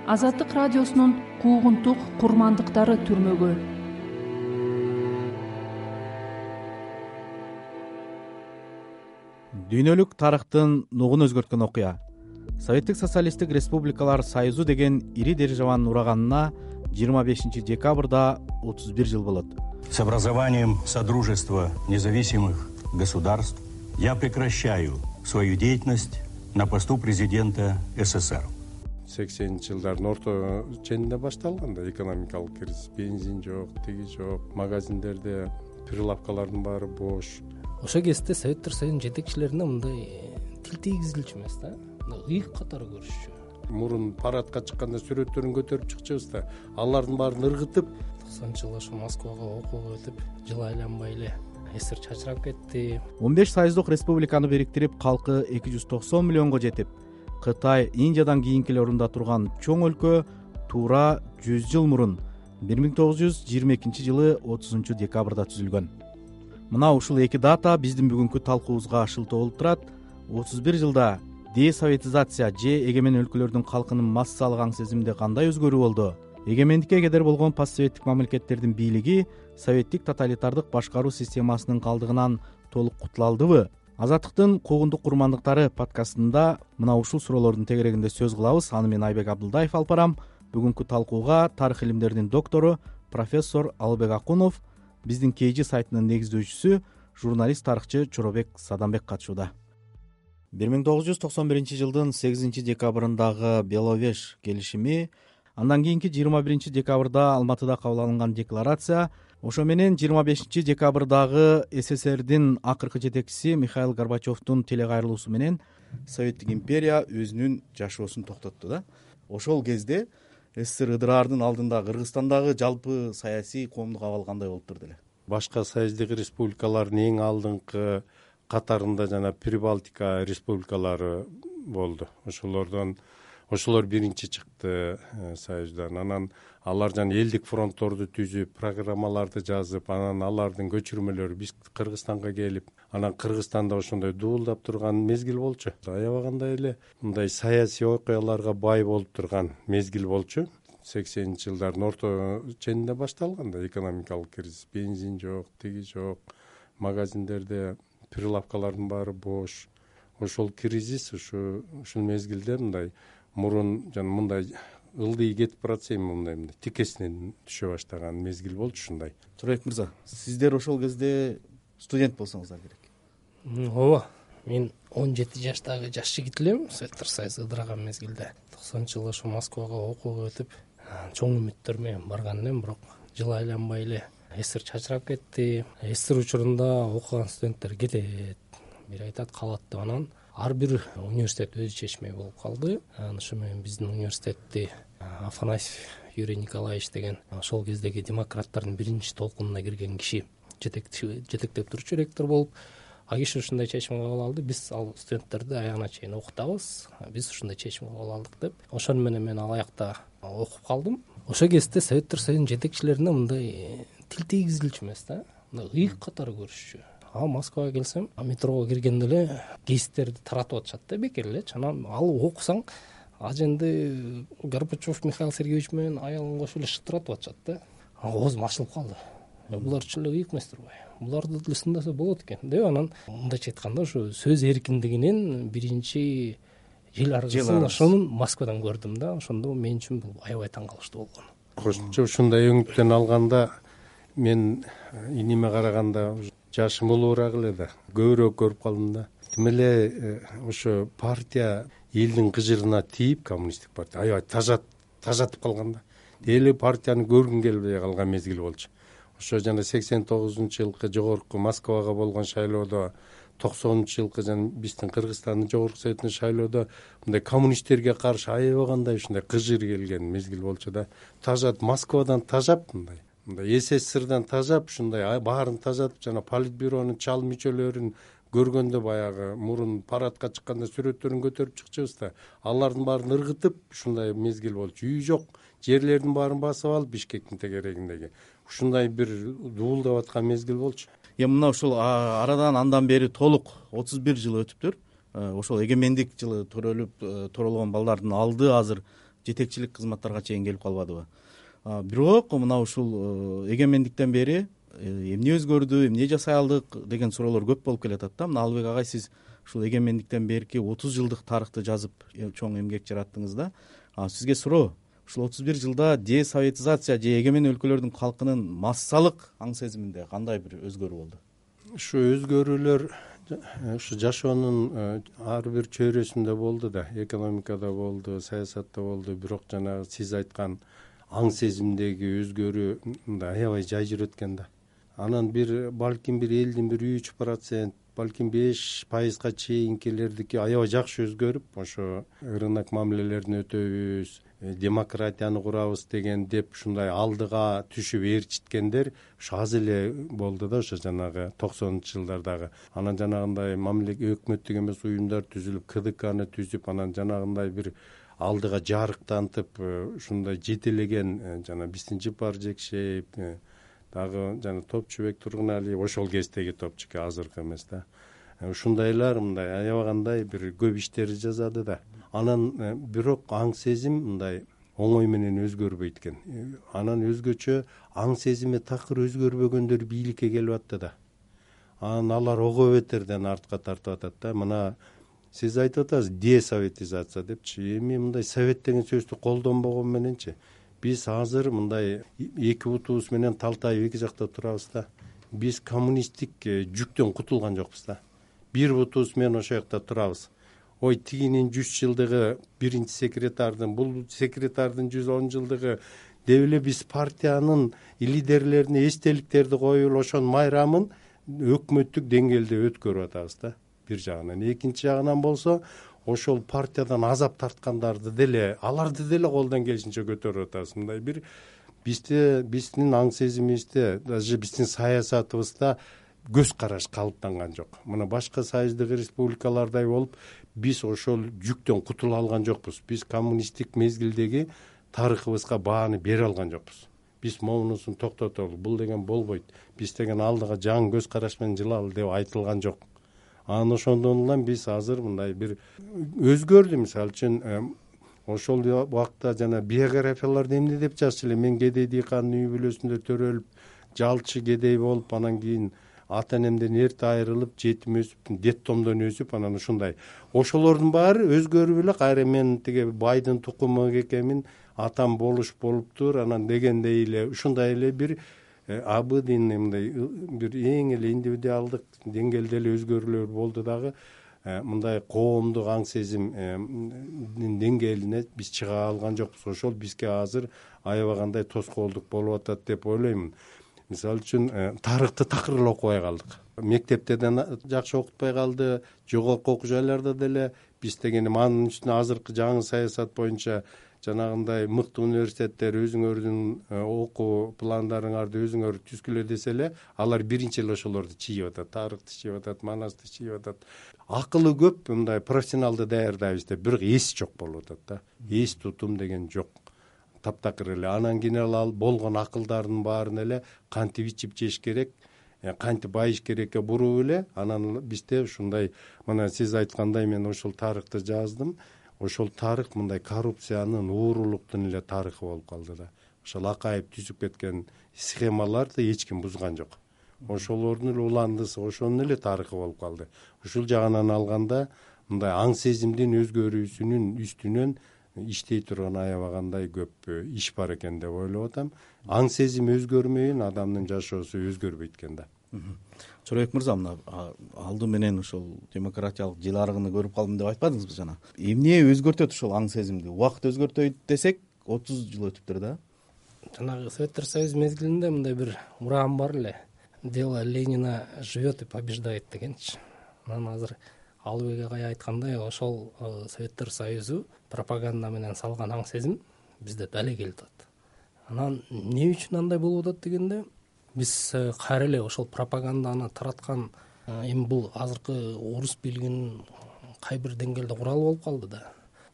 Азаттык радиосунун куугунтук курмандыктары түрмөгө. Дүйнөлүк тарыхтын нугун өзгөрткөн окуя. Советтик социалисттик республикалар союзу деген ири державанын ураганына 25 декабрда 31 жыл болот. С образованием Содружества независимых государств я прекращаю свою деятельность на посту президента СССР. 80-жылдардын орто ченинде башталган да экономикалык кризис. Бензин жок, тиги жок, магазиндерде прилавкалардын баары бош. Ошо кезде Советтер Союзунун жетекчилерине мындай тил тийгизилчү эмес да, ыйык катары көрүшчү. Мурун парадка чыкканда сүрөттөрүн көтөрүп чыкчыбыз да, алардын баарын ыргытып 90-жылы ошо Москвага окууга өтүп, жыл айланбай эле СССР чачырап кетти. 15 союздук республиканы бириктирип, калкы 290 миллионго жетип, Кытай, Индиядан кийинки орунда турган чоң өлкө туура 100 жыл мурун 1922 30 декабрда түзүлгөн. Мына ушул эки дата биздин бүгүнкү талкуубузга шылтоо болуп турат. 31 жылда десоветизация же эгемен өлкөлөрдүн калкынын массалык аң сезиминде кандай өзгөрүү болду? Эгемендикке кедер болгон постсоветтик мамлекеттердин бийлиги советтик тоталитардык башкаруу системасынын калдыгынан толук кутула алдыбы? Азаттыктын куугунтук курмандыктары подкастында мына ушул суроолордун тегерегинде сөз кылабыз. Аны мен Айбек Абдылдаев алып барам. Бүгүнкү талкууга тарых илимдеринин доктору профессор Алыбек Акунов, биздин KG сайтынын негиздөөчүсү, журналист тарыхчы Чоробек Садамбек катышууда. 1991 жылдын 8 декабрындагы Беловеж келишими, андан кийинки 21 декабрда Алматыда кабыл алынган декларация, ошо менен 25 декабрдагы СССРдин акыркы жетекчиси Михаил Горбачевдун телекайрылуусу менен Советтик империя өзүнүн жашоосун токтотту да. Ошол кезде СССР ыдыраардын алдында Кыргызстандагы жалпы саясий коомдук абал кандай болуп турду эле? Башка союздук республикалардын эң алдыңкы катарында жана Прибалтика республикалары болду. Ошолор биринчи чыкты союздан. Анан алар жана элдик фронтторду түзүп, программаларды жазып, анан алардын көчүрмөлөрү биз Кыргызстанга келип, анан Кыргызстанда ошондой дуулдап турган мезгил болчу. Аябагандай эле мындай саясий окуяларга бай болуп турган мезгил болчу. 80-жылдардын орто ченинде башталган да экономикалык кризис. Бензин жок, тиги жок, магазиндерде прилавкалардын баары бош. Ошол кризис ушул мезгилде мындай мурун жана мындай ылдый кетип баратса эми мындай тикесинен түшө баштаган мезгил болчу ушундай. Чоробек мырза, сиздер ошол кезде студент болсоңуздар керек. Ооба, мен 17 жаштагы жаш жигит элем. Советтер Союзу ыдыраган мезгилде 90-жылы ошо Москвага окууга өтүп, чоң үмүттөр менен барган элем, бирок жыл айланбай эле СССР чачырап кетти. СССР учурунда окуган студенттер кетет, бир айтат калат деп, анан ар бир университет өзү чечмек болуп калды. Ошо менен биздин университетти Афанасьев Юрий Николаевич деген ошол кездеги демократтардын биринчи толкунуна кирген киши жетектеп турчу ректор болуп, а киши ушундай чечим кабыл алды. Биз ал студенттерди аягына чейин окутабыз, биз ушундай чечим кабыл алдык деп. Ошону менен мен ал аякта окуп калдым. Ошол кезде Советтер Союзунун жетекчилерине мындай тил тийгизилчү эмес да, ыйык катары көрүшчү. Москвага келсем, метрого киргенде эле гезиттерди таратып атышат да, бекер элечи. Анан ал окусаң, аженди Горбачев Михаил Сергеевич менен аялын кошуп эле шыттыратып атышат да. Оозум ачылып калды. Булар чын эле ыйык эмес турбайбы? Буларды деле сындаса болот экен деп, анан мындайча айтканда ошо сөз эркиндигинин биринчи жел аргысын ошонун Москвадан көрдүм да. Ошондо мен үчүн бул аябай таң калыштуу болгон. Кошумча ушундай өңүттөн алганда мен иниме караганда жашым улуураак эле да, көбүрөөк көрүп калдым да. Тим эле ошо партия элдин кыжырына тийип, коммунисттик партия аябай тажатып калган да. Эле партияны көргүн келбей калган мезгил болчу. Ошо жана 89-жылкы жогорку Москвага болгон шайлоодо, 90-жылкы жана биздин Кыргызстандын жогорку советинин шайлоодо мындай коммунисттерге каршы аябагандай ушундай кыжыр келген мезгил болчу да. Москвадан тажап мындай СССРдан тажап, ушундай баарын тажатып, жана политбюронун чал мүчөлөрүн көргөндө баягы мурун парадка чыкканда сүрөттөрүн көтөрүп чыкчыбыз да, алардын баарын ыргытып ушундай мезгил болчу. Үй жок, жерлердин баарын басып алып Бишкектин тегерегиндеги ушундай бир дуулдап аткан мезгил болчу. Мына ушул арадан андан бери толук 31 жыл өтүптүр. Ошол эгемендик жылы төрөлгөн балдардын алды азыр жетекчилик кызматтарга чейин келип калбадыбы. Бирок мына ушул эгемендиктен бери эмне өзгөрдү, эмне жасай алдык деген суроолор көп болуп келатат да. Мына Алыбек агай, сиз ушул эгемендиктен берки 30 жылдык тарыхты жазып чоң эмгек жараттыңыз да. Сизге суроо, ушул 31 жылда десоветизация же эгемен өлкөлөрдүн калкынын массалык аң сезиминде кандай бир өзгөрүү болду? Ушу өзгөрүүлөр ушу жашоонун ар бир чөйрөсүндө болду да. Экономикада болду, саясатта болду. Бирок жанагы сиз айткан аң сезимдеги өзгөрүү мындай аябай жай жүрөт да. Анан балким бир элдин 3%, балким 5%га чейинкилердики аябай жакшы өзгөрүп, ошо рынок мамилелерин өтөбүз, демократияны курабыз деген деп ушундай алдыга түшүп ээрчиткендер ошо аз эле болду да, ошо жанагы 90-жылдардагы. Анан жанагындай өкмөттүк эмес уюмдар түзүлүп, КДКны түзүп, анан жанагындай бир алдыга жарыктантып, ушундай жетелеген жана Бистинчипар Жекшеев, дагы жана Топчубек Тургуналиев, ошол кездеги топчуке, азыркы эмес да. Ушундайлар мындай аябагандай бир көп иштерди жазады да. Анан бирок аң сезим мындай оңой менен өзгөрбөйт экен. Анан өзгөчө аң сезими такыр өзгөрбөгөндөр бийликке келип атты да. Анан алар ого бетерден артка тартып атат да. Мына сиз айтып атасыз десоветизация депчи. Эми мындай совет деген сөздү колдонбогон мененчи биз азыр мындай эки бутубуз менен талтайып эки жакта турабыз да. Биз коммунисттик жүктөн кутулган жокпуз да. Бир бутубуз менен ошол жакта турабыз. Ой, тигинин 100 жылдыгы, биринчи секретардын, бул секретардын 110 жылдыгы деп эле биз партиянын лидерлерине эстеликтерди коюп эле ошонун майрамын өкмөттүк деңгээлде өткөрүп атабыз да. Бир жагынан, экинчи жагынан болсо ошол партиядан азап тарткандарды деле, аларды деле колдон келишинче көтөрүп атабыз. Мындай бир биздин аң сезимибизде, даже биздин саясатыбызда көз караш калыптанган жок. Мына башка союздук республикалардай болуп, биз ошол жүктөн кутула алган жокпуз. Биз коммунисттик мезгилдеги тарыхыбызга бааны бере алган жокпуз. Биз момунусун токтотолу, бул деген болбойт. Биз деген алдыга жаңы көз караш менен жылалы деп айтылган жок. Анан ошондон улам биз азыр мындай бир өзгөрдү. Мисалы үчүн ошол убакта жана биографияларды эмне деп жазчу эле? Мен кедей дыйкандын үй бүлөсүндө төрөлүп, жалчы кедей болуп, анан кийин ата энемден эрте айрылып, жетим өсүп, детдомдон өсүп, анан ушундай. Ошолордун баары өзгөрүп эле кайра мен тиги байдын тукуму экенмин, атам болуптур, анан дегендей эле ушундай эле бир абыдын мындай бир эң эле индивидуалдык деңгээлде эле өзгөрүүлөр болду дагы. Мындай коомдук аң сезимдин деңгээлине биз чыга алган жокпуз. Ошол бизге азыр аябагандай тоскоолдук болуп атат деп ойлоймун. Мисалы үчүн тарыхты такыр эле окубай калдык. Мектепте да жакшы окутпай калды, жогорку окуу жайларда деле биз деген анын үстүнө азыркы жаңы саясат боюнча жанагындай мыкты университеттер өзүңөрдүн окуу пландарыңарды өзүңөр түзгүлө десе эле, алар биринчи эле ошолорду чийип атат, тарыхты чийип атат, манасты чийип атат. Акылы көп, мындай профессионалды даярдайбыз деп, бирок эс жок болуп атат да. Эс тутум деген жок. Таптакыр эле. Анан кийин ал болгон акылдардын баарын эле кантип ичип жеш керек, кантип байыш керекке буруп эле, анан бизде ушундай, мына сиз айткандай мен ошол тарыхты жаздым. Ошол тарых мындай коррупциянын, уурулуктун эле тарыхы болуп калды да. Ошол Акаев түзүп кеткен схемаларды эч ким бузган жок. Ошолордун эле уландысы, ошонун эле тарыхы болуп калды. Ушул жагынан алганда мындай аң сезимдин өзгөрүүсүнүн үстүнөн иштей турган аябагандай көп иш бар экен деп ойлоп атам. Аң сезим өзгөрмөйүн адамдын жашоосу өзгөрбөйт экен да. Чорбек мырза, мына алды менен ошол демократиялык жыл арыгын көрүп калдым деп айтпадыңызбы жана? Эмне өзгөртөт ошол аң сезимди? Убакыт өзгөртөйт десек, 30 жыл өтүптүр да. Жанагы Советтер Союзу мезгилинде мындай бир уран бар эле. Дело Ленина живет и побеждает дегенчи. Анан азыр Алыбек агай айткандай, ошол Советтер Союзу пропаганда менен салган аң сезим бизде дале келип атат. Анан эмне үчүн андай болуп атат дегенде, биз кайра эле ошол пропаганданы тараткан эми бул азыркы орус бийлигинин кай бир деңгээлде куралы болуп калды да.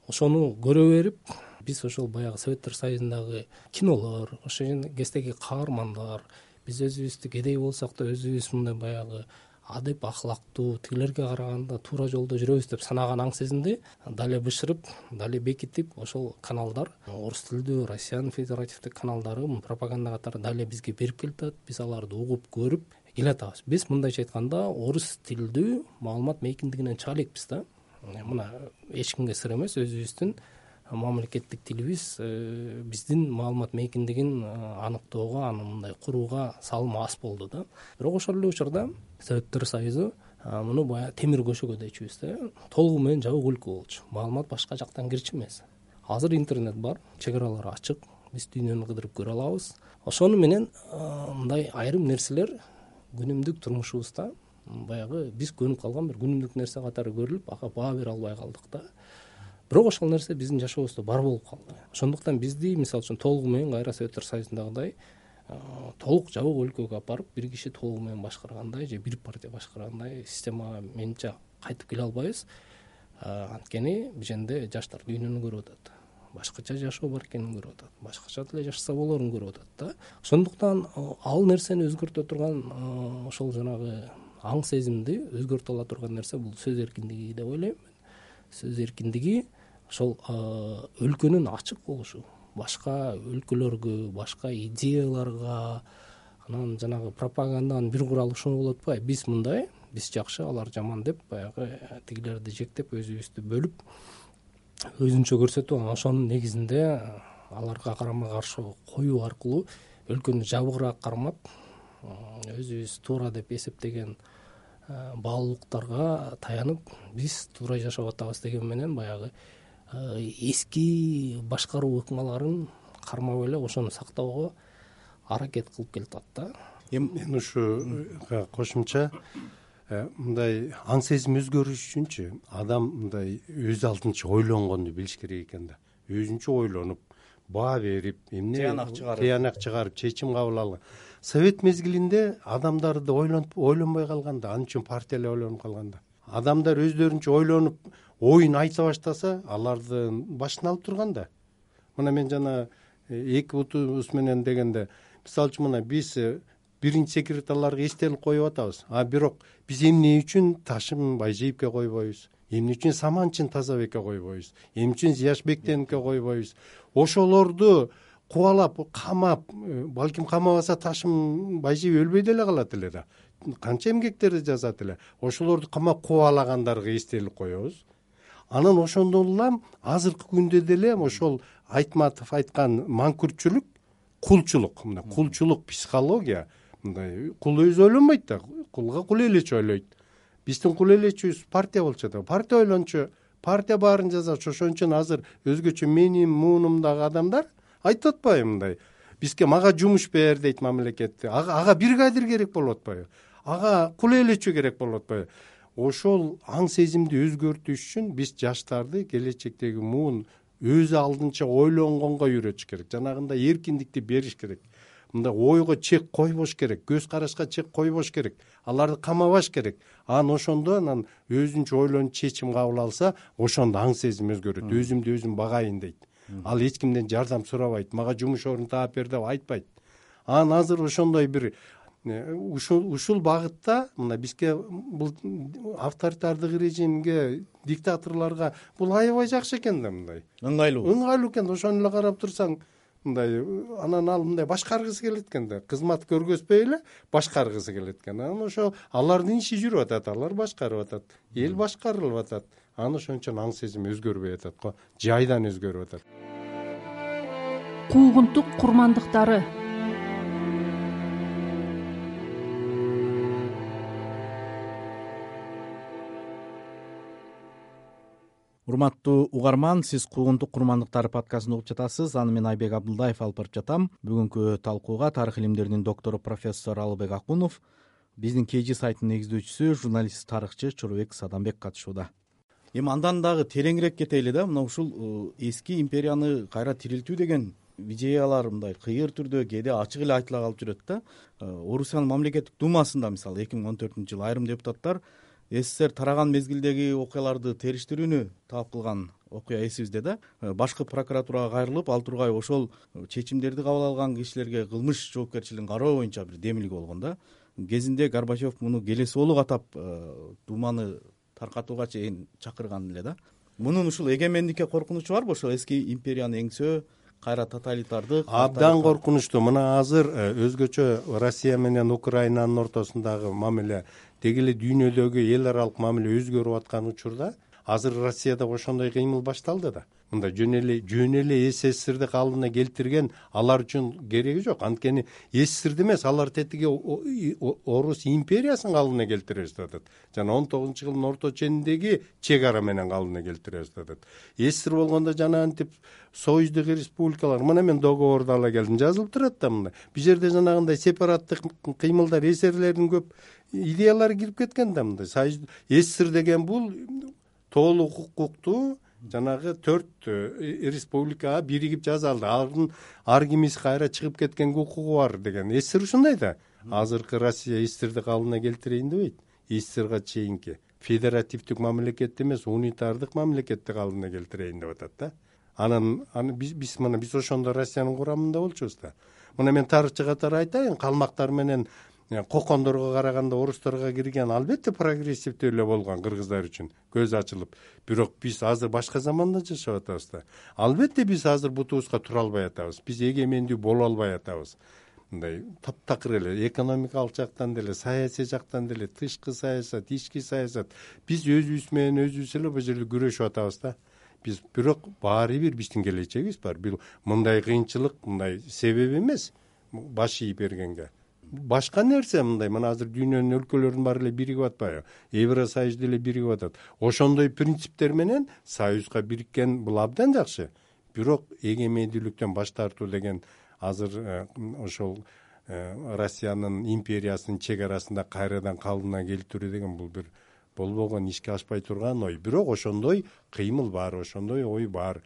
Ошону көрө берип, биз ошол баягы Советтер Союзундагы кинолор, ошол кездеги каармандар, биз өзүбүздү кедей болсок да өзүбүз мындай баягы адеп ахлактуу, тигилерге караганда туура жолдо жүрөбүз деп санаган аң сезимди дали бышырып, дали бекитип, ошол каналдар, орус тилдүү Россиянын федеративдик каналдары пропаганда катары дали бизге берип келатат. Биз аларды угуп, көрүп келатабыз. Биз мындайча айтканда орус тилдүү маалымат мейкиндигинен чыга элекпиз да. Мына эч кимге сыр эмес, өзүбүздүн мамлекеттик тилибиз биздин маалымат мейкиндигин аныктоого, аны мындай курууга салымы аз болду да. Бирок ошол эле учурда Советтер Союзу муну баягы темир көшөгө дейчүбүз да, толугу менен жабык өлкө болчу. Маалымат башка жактан кирчү эмес. Азыр интернет бар, чек аралар ачык, биз дүйнөнү кыдырып көрө алабыз. Ошону менен мындай айрым нерселер күнүмдүк турмушубузда баягы биз көнүп калган бир күнүмдүк нерсе катары көрүлүп, ага баа бере албай калдык да. Бирок ошол нерсе биздин жашообузда бар болуп калды. Ошондуктан бизди мисалы үчүн толугу менен кайра Советтер Союзундагыдай толук жабык өлкөгө апарып бир киши толугу менен башкаргандай же бир партия башкаргандай системага менимче кайтып келе албайбыз. Анткени биженде жаштар дүйнөнү көрүп атат, башкача жашоо бар экенин көрүп атат, башкача деле жашаса болорун көрүп атат да. Ошондуктан ал нерсени өзгөртө турган ошол жанагы аң сезимди өзгөртө ала турган нерсе бул сөз эркиндиги деп ойлойм. Сөз эркиндиги ошол өлкөнүн ачык болушу, башка өлкөлөргө, башка идеяларга, анан жанагы пропаганданын бир куралы ушуну болуп атпайбы, биз мындай, биз жакшы, алар жаман деп баягы тигилерди жектеп өзүбүздү бөлүп өзүнчө көрсөтүп, ошонун негизинде аларга карама каршы коюу аркылуу өлкөнү жабыгыраак кармап, өзүбүз туура деп эсептеген баалуулуктарга таянып биз туура жашап атабыз деген менен баягы эски башкаруу ыкмаларын кармап эле ошону сактоого аракет кылып келатат да. Мен ушуга кошумча мындай аң сезим өзгөрүш үчүнчү адам мындай өз алдынча ойлонгонду билиш керек экен да. Өзүнчө ойлонуп, баа берип, тыянак чыгарып, чечим кабыл алган. Совет мезгилинде адамдарды ойлонбой калганда, ал үчүн партиялар ойлонуп калганда. Адамдар өздөрүнчө ойлонуп, оюн айта баштаса, аларды башына алып турганда. Мына мен жана эки бутубуз менен дегенде, мисалы үчүн мына биз биринчи секретарларга эстелик коюп атабыз. Бирок биз эмне үчүн Ташым Байжиевке койбойбуз? Эмне үчүн Саманчин Тазабекке койбойбуз? Эмне үчүн Зияшбектенке койбойбуз? Ошолорду кубалап, камап, балким камабаса Ташым Байжиев өлбөй деле калат эле да. Канча эмгектерди жазат эле. Ошолорду камап кубалагандарга эстелик коебуз. Анан ошондон улам азыркы күндө деле ошол Айтматов айткан манкүртчүлүк, кулчулук, мына кулчулук психология, мындай кул өзү ойлонбойт да, кулга кул элечи ойлойт. Биздин кул элечибиз партия болчу да, партия ойлончу, партия баарын жазачу. Ошон үчүн азыр өзгөчө менин муунумдагы адамдар айтып атпайбы мындай, бизге мага жумуш бер дейт мамлекет. Ага бригадир керек болуп атпайбы? Ага кул элечи керек болуп атпайбы? Ошол аң сезимди өзгөртүш үчүн биз жаштарды келечектеги муун өз алдынча ойлонгонго үйрөтүш керек. Жанагындай эркиндикти бериш керек. Мындай ойго чек койбош керек, көз карашка чек койбош керек. Аларды камабаш керек. Ошондо анан өзүнчө ойлонуп чечим кабыл алса, ошондо аң сезим өзгөрөт. Өзүмдү өзүм багайын дейт. Ал эч кимден жардам сурабайт, мага жумуш орун таап бер деп айтпайт. Азыр ошондой бир ушул багытта мына бизге бул авторитардык режимге, диктаторлорго бул аябай жакшы экен да, мындай ыңгайлуу экен. Ошону эле карап турсаң, мындай анан ал мындай башкаргысы келет экен да, кызмат көргөзбөй эле башкаргысы келет экен. Анан ошо алардын иши жүрүп атат, алар башкарып атат, эл башкарылып атат. Ошон үчүн аң сезим өзгөрбөй атат го, жайдан өзгөрүп атат. Куугунтук курмандыктары. Урматтуу угарман, сиз Куугунтук курмандыктары подкастын угуп жатасыз. Аны мен Айбек Абдулдаев алып барып жатам. Бүгүнкү талкууга тарых илимдеринин доктору профессор Алыбек Акунов, биздин KG сайтынын негиздөөчүсү, журналист, тарыхчы Чорубек Садамбек катышууда. Эми андан дагы тереңирээк кетели да. Мына ушул эски империяны кайра тирилтүү деген идеялар мындай кыйыр түрдө, кээде ачык эле айтыла калып жүрөт да. Орусиянын мамлекеттик думасында мисалы 2014-жылы айрым депутаттар СССР тараган мезгилдеги окуяларды териштирүүнү талап кылган окуя эсибизде да. Башкы прокуратурага кайрылып, ал тургай ошол чечимдерди кабыл алган кишилерге кылмыш жоопкерчилигин кароо боюнча бир демилги болгон да. кезинде Горбачев муну келеси болуп атап Думаны таркатууга чейин чакырган эле да. Мунун ушул эгемендикке коркунучу барбы? Ошол эски империяны эңсөө, кайра тоталитардык абдан коркунучтуу. Мына азыр өзгөчө Россия менен Украинанын ортосундагы мамиле, деги эле дүйнөдөгү эл аралык мамиле өзгөрүп аткан учурда азыр Россияда ошондой кыймыл башталды да. Мында жөн эле СССРди калыбына келтирген алар үчүн кереги жок. Анткени СССРди эмес, алар тетиги Орус империясын калыбына келтиребиз деп атат. Жана 19-жылдын орто чениндеги чек ара менен калыбына келтиребиз деп атат. СССР болгондо жана антип союздук республикалар, мына мен договорду ала келдим, жазылып турат да мында. Бул жерде жанагындай сепараттык кыймылдар, эсерлердин көп идеялары кирип кеткен да мында. СССР деген бул толук укуктуу жанагы 4 республикага биригип жасалды. Ар кимис кайра чыгып кеткенге укугу бар деген. СССР ушундай да. Азыркы Россия СССРди калыбына келтирейин дебейт. СССРга чейинки федеративдик мамлекет эмес, унитардык мамлекетти калыбына келтирейин деп атат да. Анан биз ошондо Россиянын курамында болчубуз да. Мына мен тарыхчы катары айтайын, калмактар менен кокондорго караганда орустарга кирген албетте прогрессивдүү эле болгон кыргыздар үчүн көз ачылып. Бирок биз азыр башка заманда жашап атабыз да. Албетте биз азыр бутубузга тура албай атабыз. Биз эгемендүү боло албай атабыз. Мындай таптакыр эле экономикалык жактан деле, саясий жактан деле, тышкы саясат, ички саясат. Биз өзүбүз менен өзүбүз эле бул жерде күрөшүп атабыз да. Биз бирок баары бир биздин келечегибиз бар. Бул мындай кыйынчылык, мындай себеп эмес баш ийип бергенге. Башка нерсе мындай, мына азыр дүйнөнүн өлкөлөрүнүн баары эле биригип атпайбы? Евросоюз деле биригип атат. Ошондой принциптер менен союзга бириккен бул абдан жакшы. Бирок эгемендүүлүктөн баш тартуу деген азыр ошол Россиянын империясынын чек арасында кайрадан калыбына келтирүү деген бул бир болбогон, ишке ашпай турган ой. Бирок ошондой кыймыл бар, ошондой ой бар.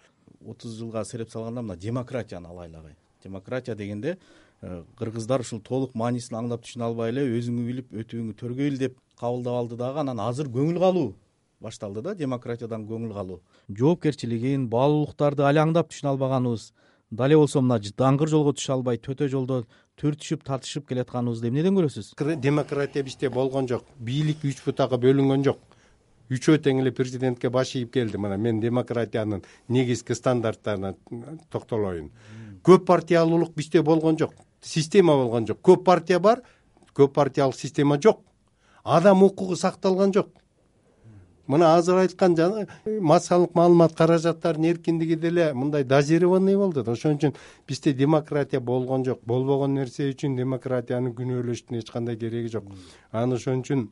30 жылга сереп салганда мына демократияны алайлы. Демократия дегенде кыргыздар ушул толук маанисин аңлап түшүнө албай эле өзүңү билип өтүүңү төргөйүл деп кабылдап алды дагы. Анан азыр көңүл калуу башталды да, демократиядан көңүл калуу. Жоопкерчилигин, баалуулуктарды али аңдап түшүнө албаганыбыз, дале болсо мына даңгыр жолго түшө албай төтө жолдо түртүшүп татышып келатканыбызды эмнеден көрөсүз? Демократия бизде болгон жок. Бийлик 3 бутага бөлүнгөн жок. Үчөө тең эле президентке баш ийип келди. Мына мен демократиянын негизги стандарттарына токтолоюн. Көп партиялуулук бизде болгон жок. Система болгон жок. Көп партия бар, көп партиялык система жок. Адам укугу сакталган жок. Мына азыр айткан массалык маалымат каражаттарынын эркиндиги деле мындай дозированный болду. Ошон үчүн бизде демократия болгон жок. Болбогон нерсе үчүн демократияны күнөөлөштүн эч кандай кереги жок. Анан ошон үчүн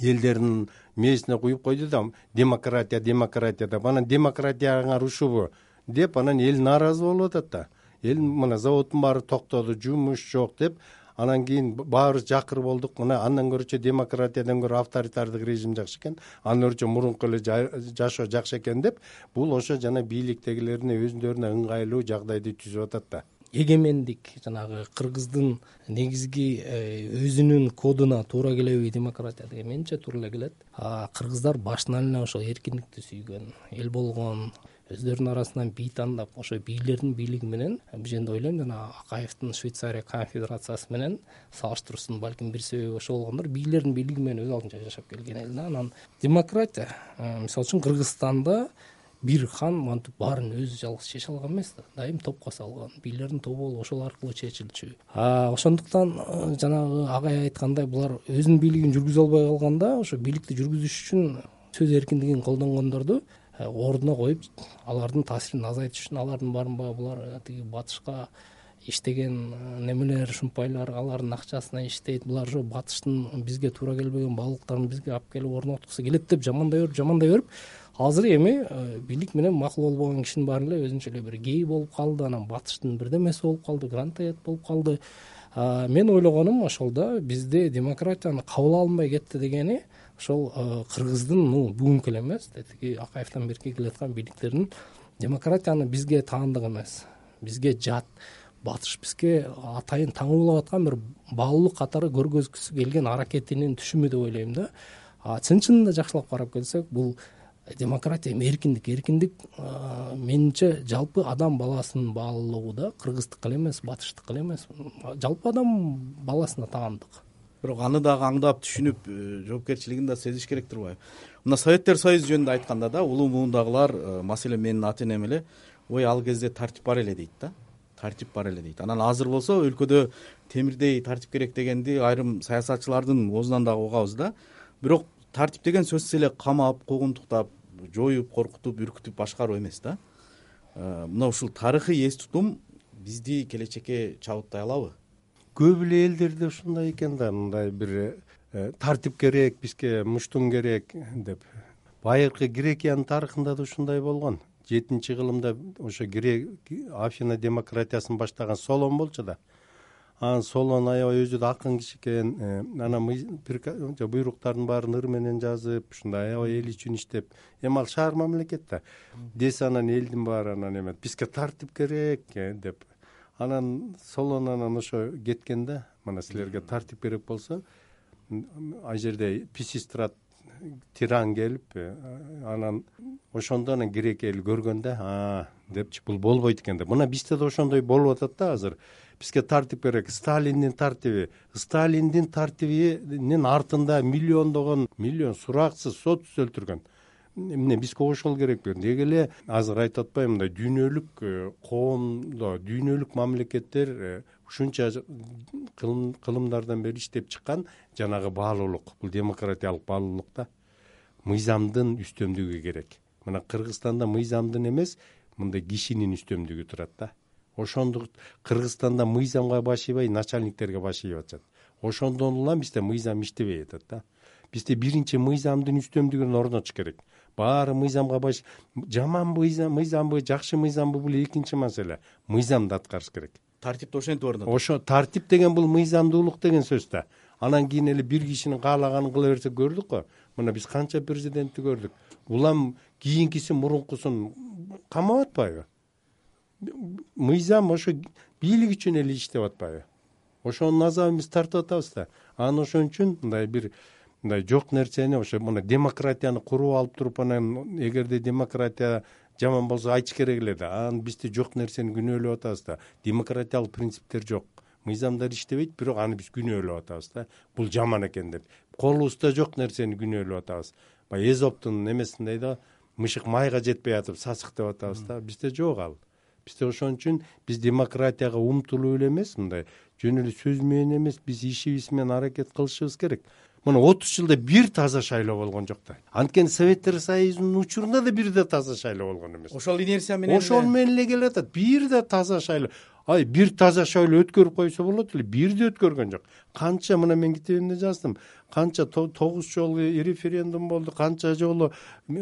элдердин мээсине куюп койду да, демократия деп. Анан демократияңар ушубу деп анан эл нааразы болуп атат да. Эл мына заводдун баары токтоду, жумуш жок деп, анан кийин баарыбыз жакыр болдук. Мына андан көрүчө демократиядан көрө авторитардык режим жакшы экен, андан көрүчө мурунку эле жашоо жакшы экен деп, бул ошо жана бийликтегилерине өзүндөөрүнө ыңгайлуу жагдайды түзүп атат да. Эгемендик жанагы кыргыздын негизги өзүнүн кодуна туура келеби демократия деген? Менимче туура эле келет. Кыргыздар башынан эле ошол эркиндикти сүйгөн эл болгон, өздөрүнүн арасынан бий тандап, ошо бийлердин бийлиги менен, бул жерде ойлойм жана Акаевдин Швейцария конфедерациясы менен салыштыруусунун балким бир себеби ошол болгондор. Бийлердин бийлиги менен өз алдынча жашап келген эл да. Анан демократия, мисалы үчүн Кыргызстанда бир хан мантип баарын өзү жалгыз чече алган эмес да. Дайым топко салган. Бийлердин тобу болуп ошол аркылуу чечилчү. Ошондуктан жанагы агай айткандай, булар өзүнүн бийлигин жүргүзө албай калганда, ошо бийликти жүргүзүш үчүн сөз эркиндигин колдонгондорду ордуна коюп, алардын таасирин азайтыш үчүн алардын барынбагы булар тиги батышка иштеген немелер, шумпайлар алардын акчасына иштейт. Булар ошо батыштын бизге туура келбеген баалуулуктарын бизге алып келип орноткусу келет деп жамандай берип, азыр эми бийлик менен макул болбогон кишинин баары эле өзүнчө эле бир гей болуп калды, анан батыштын бирдемеси болуп калды, грантоед болуп калды. Мен ойлогонум ошол да, бизде демократияны кабыл алынбай кетти дегени ошол кыргыздын бүгүнкү эле эмес, тетиги Акаевден берки келаткан бийликтердин демократияны бизге таандык эмес, бизге жат, батыш бизге атайын таңуулап аткан бир баалуулук катары көргөзгүсү келген аракетинин түшүмү деп ойлойм да. Чын-чынында жакшылап карап келсек, бул демократия эркиндик менимче жалпы адам баласынын баалуулугу да, кыргыздыкы эле эмес, батыштыкы эле эмес, жалпы адам баласына таандык. бирок аны дагы аңдап түшүнүп жоопкерчилигин да сезиш керек турбайбы? Мына Советтер Союзу жөнүндө айтканда да улуу муундагылар, маселен менин ата энем эле, ой ал кезде тартип бар эле дейт да. Тартип бар эле дейт. Анан азыр болсо өлкөдө темирдей тартип керек дегенди айрым саясатчылардын оозунан дагы угабыз да. Бирок тартип деген сөзсүз эле камап, куугунтуктап, жоюп, коркутуп, үркүтүп башкаруу эмес да. Мына ушул тарыхый эс тутум бизди келечекке чабыттай алабы? Көп эле элдерде ушундай экен да, мындай бир тартип керек, бизге муштун керек деп. Байыркы Грекиянын тарыхында да ушундай болгон. 7-кылымда ошо Афина демократиясын баштаган Солон болчу да. Анан Солон аябай өзү да акын киши экен. Анан буйруктардын баарын ыр менен жазып, ушундай аябай эл үчүн иштеп, эми ал шаар мамлекет да. Десе анан элдин баары анан эме бизге тартип керек деп. Анан Солон анан ошо кеткен да. Мына силерге тартип керек болсо, ал жерде Писистрат тиран келип, анан ошондо анан Грек эл көргөн да, депчи бул болбойт экен деп. Мына бизде да ошондой болуп атат да азыр. Бизге тартип керек. Сталиндин тартибинин артында миллион сураксыз, сотсуз өлтүргөн. Эмне бизге ошол керекпи? Деги эле азыр айтып атпаймынбы, мындай дүйнөлүк коомдо, дүйнөлүк мамлекеттер ушунча кылымдардан бери иштеп чыккан жанагы баалуулук, бул демократиялык баалуулук да. Мыйзамдын үстөмдүгү керек. Мына Кыргызстанда мыйзамдын эмес, мындай кишинин үстөмдүгү турат да. Ошондук Кыргызстанда мыйзамга башыйбай, начальниктерге башыйып атышат. Ошондон улам бизде мыйзам иштебей атат да. Бизде биринчи мыйзамдын үстөмдүгүн орнотуш керек. Баары мыйзамга жаман мыйзамбы, жакшы мыйзамбы бул экинчи маселе. Мыйзамды аткарыш керек. Тартипти ошентип орнотот. Ошо тартип деген бул мыйзамдуулук деген сөз да. Анан кийин эле бир кишинин каалаганын кыла берсе көрдүк го. Мына биз канча президентти көрдүк. Улам кийинкиси мурункусун камап атпайбы? Мыйзам ошо бийлик үчүн эле иштеп атпайбы? Ошонун азабын биз тартып атабыз да. Анан ошон үчүн мындай жок нерсени ошо мына демократияны куруп алып туруп, анан эгерде демократия жаман болсо айтыш керек эле да. Анан бизде жок нерсени күнөөлөп атабыз да. Демократиялык принциптер жок. Мыйзамдар иштебейт, бирок аны биз күнөөлөп атабыз да. Бул жаман экен деп. Колубузда жок нерсени күнөөлөп атабыз. Баягы Эзоптун эмесиндей да, мышык майга жетпей атып сасык деп атабыз да. Бизде жок ал. Бизде ошон үчүн биз демократияга умтулуу эле эмес, мындай жөн эле сөз менен эмес, биз ишибиз менен аракет кылышыбыз керек. Мына 30 жылда бир таза шайлоо болгон жок да. Анткени Советтер Союзунун учурунда да бир да таза шайлоо болгон эмес. Ошол инерция менен эле келип атат. Бир да таза шайлоо. Бир таза шайлоо өткөрүп койсо болот эле. Бир да өткөргөн жок. Канча, мына мен китебимде жаздым. Канча 9 жолу референдум болду, канча жолу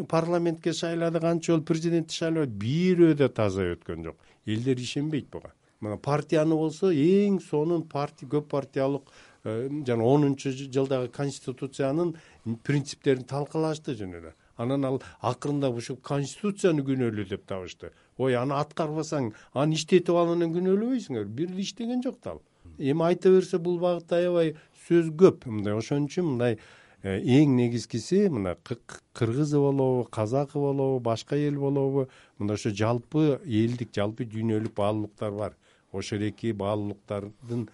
парламентке шайлады, канча жолу президентти шайлады. Бирөө да таза өткөн жок. Элдер ишенбейт буга. Мына партияны болсо эң сонун көп партиялык жана 10-жылдагы конституциянын принциптерин талкалашты жөн эле. Анан ал акырында ушу конституцияны күнөөлүү деп табышты. Ой, аны аткарбасаң, аны иштетип алгандан күнөөлөбөйсүңөр. Бир иштеген жок да ал. Эми айта берсе бул багытта аябай сөз көп. Мындай ошон үчүн мындай эң негизгиси мына кыргызы болобу, казакы болобу, башка эл болобу, мында ошо жалпы элдик, жалпы дүйнөлүк баалуулуктар бар. Ошол эки баалуулуктардын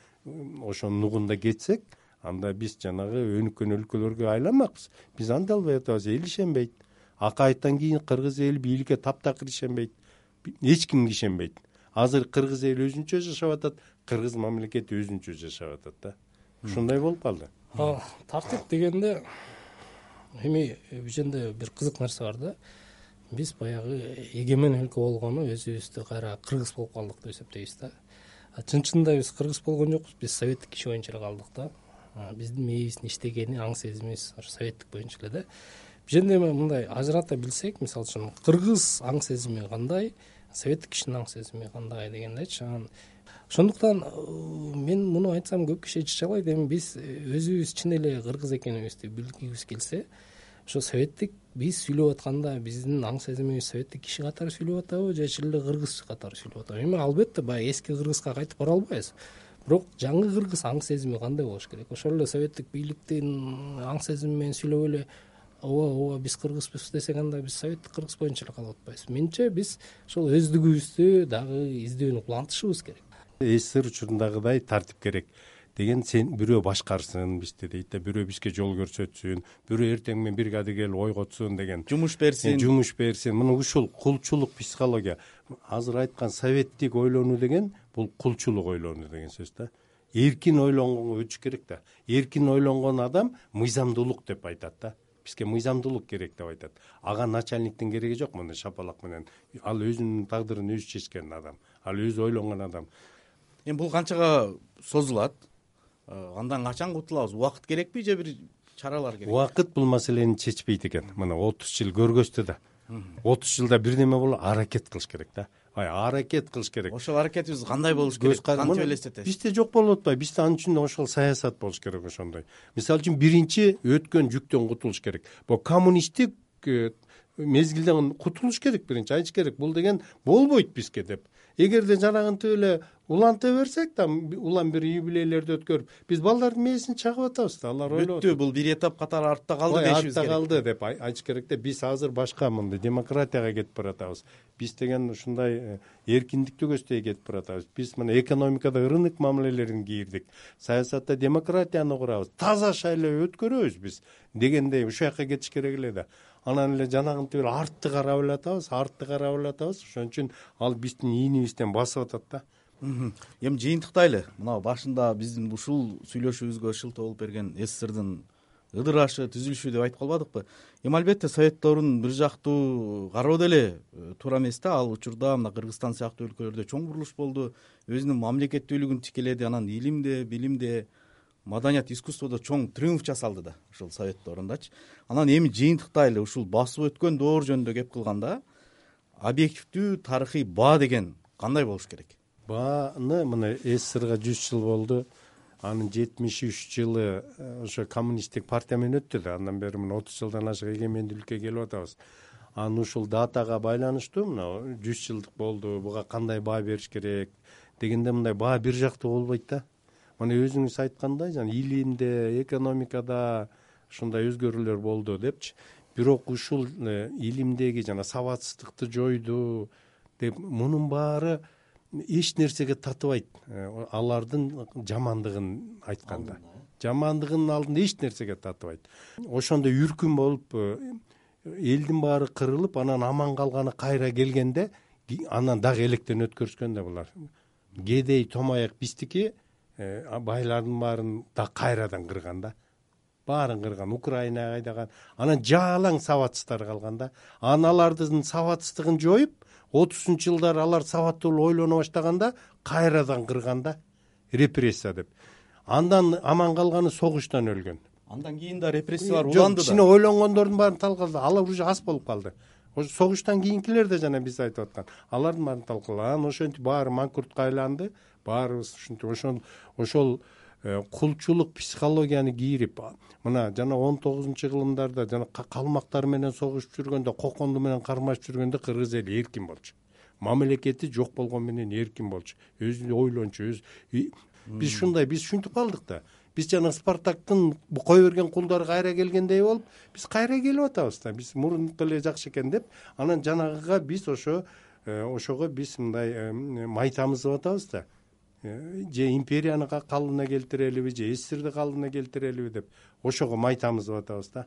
ошонун нугунда кетсек, анда биз жанагы өнүккөн өлкөлөргө айланмакпыз. Биз анда албай атабыз, эл ишенбейт. Акайыттан кийин кыргыз эли бийликке таптакыр ишенбейт. Эч кимге ишенбейт. Азыр кыргыз эли өзүнчө жашап атат, кыргыз мамлекети өзүнчө жашап атат да. Ушундай болуп калды. Тартип дегенде эми бул жерде бир кызык нерсе бар да. Биз баягы эгемен өлкө болгону өзүбүздү кайра кыргыз болуп калдык деп эсептейбиз да. Чын-чынында биз кыргыз болгон жокпуз, биз советтик киши боюнча эле калдык да. Биздин мээбиздин иштегени, аң сезимибиз ошо советтик боюнча эле да. Бул жерде мындай ажырата билсек, мисалы үчүн кыргыз аң сезими кандай, советтик кишинин аң сезими кандай дегендечи. Ошондуктан мен муну айтсам көп киши чычалайт. Эми биз өзүбүз чын эле кыргыз экенибизди билгибиз келсе, ошо советтик биз сүйлөп атканда биздин аң сезимибиз советтик киши катары сүйлөп атабы же чын эле кыргыз катары сүйлөп атабы? Эми албетте баягы эски кыргызга кайтып бара албайбыз. Бирок жаңы кыргыз аң сезими кандай болуш керек? Ошол эле советтик бийликтин аң сезими менен сүйлөп эле ооба биз кыргызбыз десек, анда биз советтик кыргыз боюнча эле калып атпайбыз. Менимче биз ошол өздүгүбүздү дагы издөөнү улантышыбыз керек. СССР учурундагыдай тартип керек. деген сен бирөө башкарсын бизди дейт да, бирөө бизге жол көрсөтсүн, бирөө эртең менен бригада келип ойготсун деген, жумуш берсин. Мына ушул кулчулук психология. Азыр айткан советтик ойлонуу деген бул кулчулук ойлонуу деген сөз да. Эркин ойлонгонго өтүш керек да. Эркин ойлонгон адам мыйзамдуулук деп айтат да. Бизге мыйзамдуулук керек деп айтат. Ага начальниктин кереги жок, мына шапалак менен. Ал өзүнүн тагдырын өзү чечкен адам, ал өзү ойлонгон адам. Эми бул канчага созулат? Андан качан кутулабыз? Убакыт керекпи же бир чаралар керекпи? Убакыт бул маселени чечпейт экен. Мына 30 жыл көргөздү да. 30 жылда бирдеме болот, аракет кылыш керек да. Аракет кылыш керек. Ошол аракетибиз кандай болуш керек? Кантип элестетесиз? Бизде жок болуп атпайбы? Бизде анын үчүн ошол саясат болуш керек ошондой. Мисалы үчүн биринчи өткөн жүктөн кутулуш керек. Бул коммунисттик мезгилден кутулуш керек, биринчи айтыш керек. Бул деген болбойт бизге деп. Эгерде жанагынтип эле уланта берсек да, улам бир юбилейлерди өткөрүп, биз балдардын мээсин чагып атабыз да, алар ойлоп бүттү, бул бир этап катары артта калды дешибиз керек. Артта калды деп айтыш керек да. Биз азыр башка мындай демократияга кетип баратабыз. Биз деген ушундай эркиндикти көздөй кетип баратабыз. Биз мына экономикада рынок мамилелерин кийирдик, саясатта демократияны курабыз, таза шайлоо өткөрөбүз биз дегендей ушул жака кетиш керек эле да. Анан эле жанагынтип эле артты карап элатабыз. Ошон үчүн ал биздин ийнибизден басып атат да. Эми жыйынтыктайлы. Мына башында биздин ушул сүйлөшүүбүзгө шылтоо болуп берген СССРдин ыдырашы, түзүлүшү деп айтып калбадыкпы? Эми албетте советтөрдүн бир жактуу кароо деле туура эмес да. Ал учурда мына Кыргызстан сыяктуу өлкөлөрдө чоң бурулуш болду. Өзүнүн мамлекеттүүлүгүн тикеледи. Анан илимде, билимде, маданият, искусстводо чоң триумф жасалды да ушул совет дорундачы. Анан эми жыйынтыктайлы ушул басып өткөн доор жөнүндө кеп кылганда объективдүү тарыхый баа деген кандай болуш керек? Бааны мына СССРга 100 жыл болду. Анын 73 жылы ошо коммунисттик партия менен өттү да. Андан бери мына 30 жылдан ашык эгемендүүлүккө келип атабыз. Анын ушул датага байланыштуу мына 100 жылдык болду. Буга кандай баа бериш керек дегенде мындай баа бир жактуу болбойт да. Мына өзүңүз айткандай, жана илимде, экономикада ушундай өзгөрүүлөр болду депчи. Бирок ушул илимдеги жана сабатсыздыкты жойду деп мунун баары эч нерсеге татыбайт. Алардын жамандыгын айтканда, жамандыгынын алдында эч нерсеге татыбайт. Ошондой үркүн болуп элдин баары кырылып, анан аман калганы кайра келгенде, анан дагы электен өткөрүшкөн да булар. Кедей томаяк биздики, байлардын баарын да кайрадан кырган да. Баарын кырган, Украинага айдаган. Анан жалаң сабатсыздар калган да. Алардын сабатсыздыгын жоюп, 30-ч жылдары алар сабаттуу ойлоно баштаганда кайрадан кырган да. Репрессия деп. Андан аман калганы согуштан өлгөн. Андан кийин да репрессиялар уланды да. Кичине ойлонгондордун баарын талкалады. Алар уже аз болуп калды. Ошо согуштан кийинкилер да жана биз айтып аткан. Алардын баарын талкалады. Анан ошентип баары манкуртка айланды. Баарыбыз ушинтип ошол кулчулук психологияны кийирип, мына жана 19-кылымдарда жана калмактар менен согушуп жүргөндө, коконду менен кармашып жүргөндө кыргыз эли эркин болчу. Мамлекети жок болгон менен эркин болчу. Өзү ойлончу, биз ушинтип калдык да. Биз жана Спартактын кой берген кулдары кайра келгендей болуп, биз кайра келип атабыз да. Биз мурунку эле жакшы экен деп, анан жанагыга биз ошого биз мындай майтамызып атабыз да. Же империяны калыбына келтирелиби, же СССРди калыбына келтирелиби деп ошого майтамызып атабыз да.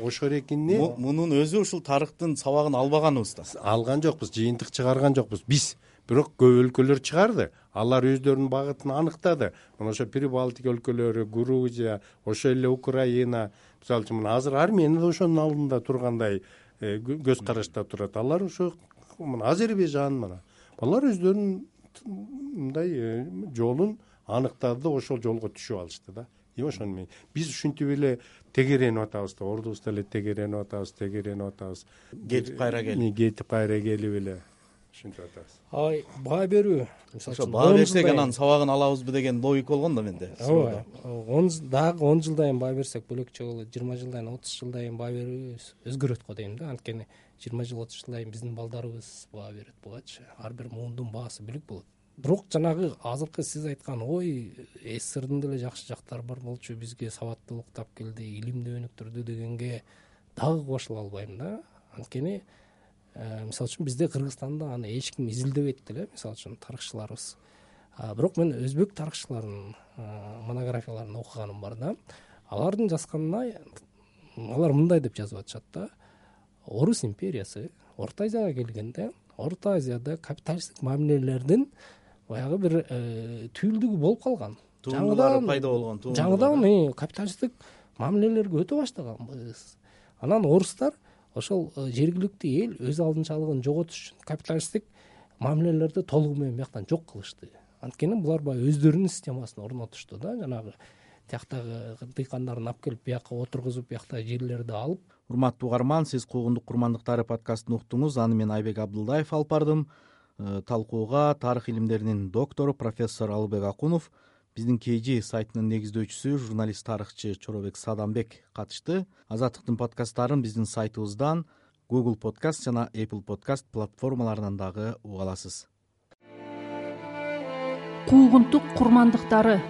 Ошол экинни мунун өзү ушул тарыхтын сабагын албаганыбыз да. Алган жокпуз, жыйынтык чыгарган жокпуз биз. Бирок көп өлкөлөр чыгарды. Алар өздөрүнүн багытын аныктады. Мына ошо Прибалтика өлкөлөрү, Грузия, ошо эле Украина, мисалы үчүн мына азыр Армения да ошонун алдында тургандай көз карашта турат. Алар ошо Азербайжан мына. Алар өздөрүнүн мындай жолун аныктады да ошол жолго түшүп алышты да. Ошону менен биз ушинтип эле тегеренип атабыз да, ордубузда эле тегеренип атабыз. Кетип кайра келип эле ушинтип атабыз. Баа берүү. Ошо баа берсек анан сабагын алабызбы деген логика болгон да менде. Дагы 10 жылдан кийин баа берсек бөлөкчө болот. 20 жылдан кийин, 30 жылдан кийин баа берүүбүз өзгөрөт го дейм да. Анткени 20 жыл, 30 жылдан кийин биздин балдарыбыз баа берет бугачы. Ар бир муундун баасы бүлүк болот. Бирок жанагы азыркы сиз айткан СССРдин деле жакшы жактары бар болчу, бизге сабаттуулук тап келди, илимди өнүктүрдү дегенге дагы кошула албайм да. Анткени мисалы үчүн бизде Кыргызстанда аны эч ким изилдебейт деле, мисалы үчүн тарыхчыларыбыз. Бирок мен өзбек тарыхчыларынын монографияларын окуганым бар да. Алардын жазганына алар мындай деп жазып атышат да: Орус империясы Орто Азияга келгенде Орто Азияда капиталисттик мамилелердин баягы бир түйүлдүгү болуп калган. Тууралары пайда болгон. Жаңыдан капиталисттик мамилелерге өтө баштаганбыз. Анан орустар ошол жергиликтүү эл өз алдынчалыгын жоготуш үчүн капиталисттик мамилелерди толугу менен бияктан жок кылышты. Анткени булар баягы өздөрүнүн системасын орнотушту да, жанагы тияктагы дыйкандарын алып келип бияка отургузуп, биякта жерлерди алып. Урматтуу угарман, сиз Куугундук курмандыктары подкастын уктуңуз. Аны мен Айбек Абдылдаев алып бардым. Талкууга тарых илимдеринин доктору профессор Алыбек Акунов, биздин KG сайтынын негиздөөчүсү журналист тарыхчы Чоробек Садамбек катышты. Азаттыктын подкасттарын биздин сайтыбыздан, Google Podcast жана Apple Podcast платформаларынан дагы уга аласыз. Куугунтук курмандыктары